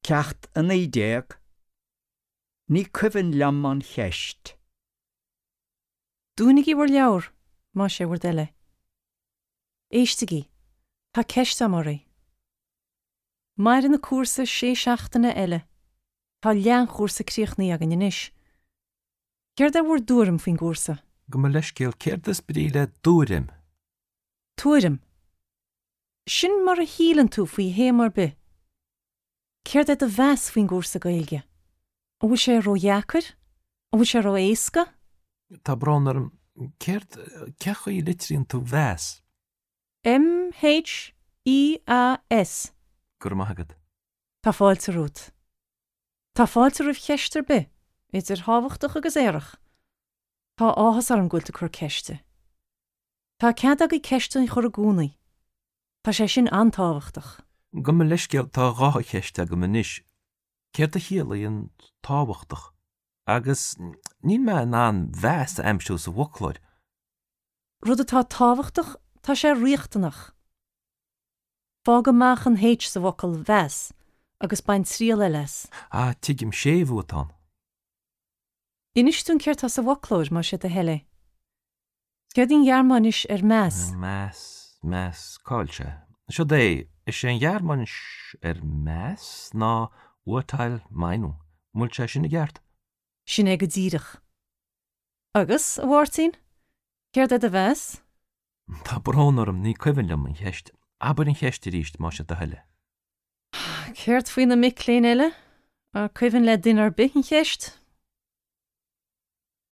Ceacht 19, Ní cuimhin liom an cheist. Dúnaigí bhur leabhar, más é bhur dtoil é. Éistigí, tá ceist agam oraibh. Maireann an cúrsa sé seachtaine eile. Tá leath an chúrsa críochnaithe againn anois. Céard é bhur dtuairim faoin gcúrsa? Gabh mo leithscéal, céard is brí le dtuairim? Tuairim. Sin mar a shíleann tú faoi théama ar bith. Céard é do mheas faoin gcúrsa Gaeilge? An bhfuil sé ródheacair? An bhfuil sé ró-éasca? Tá brón orm, céard, cén chaoi a litríonn tú mheas? M H E A S. Go raibh maith agat. Tá fáilte romhat. Tá fáilte roimh cheist ar bith, idir thábhachtach agus aerach. Tá áthas orm go bhfuil tú ag cur ceiste. Tá cead agaibh ceisteanna a chur i gcónaí. Tá sé sin an-tábhachtach. Gabh mo leithscéal, tá dhá cheist agam anois. Céard a chiallaíonn tábhachtach? Agus níl mé in ann mheas a aimsiú sa bhfoclóir. Rud atá tábhachtach, tá sé riachtanach. Fág amach an H sa bhfocal mheas agus bain triail eile as. Ah, tuigim, séimhiú atá ann. Inis dúinn céard tá sa bhfoclóir, más é do thoil é. Céard í an Ghearmáinis ar meas? Meas, meas, cá bhfuil sé? Siod é, is é an Ghearmáinis ar meas ná Urteil, Meinung. An bhfuil sé sin i gceart? Sin é go díreach. Agus, a Mháirtín, céard é do mheas? Tá brón orm, ní cuimhin liom an cheist. Abair an cheist arís, más é do thoil é. Céard faoi na mic léinn eile? An cuimhin le duine ar bith an cheist?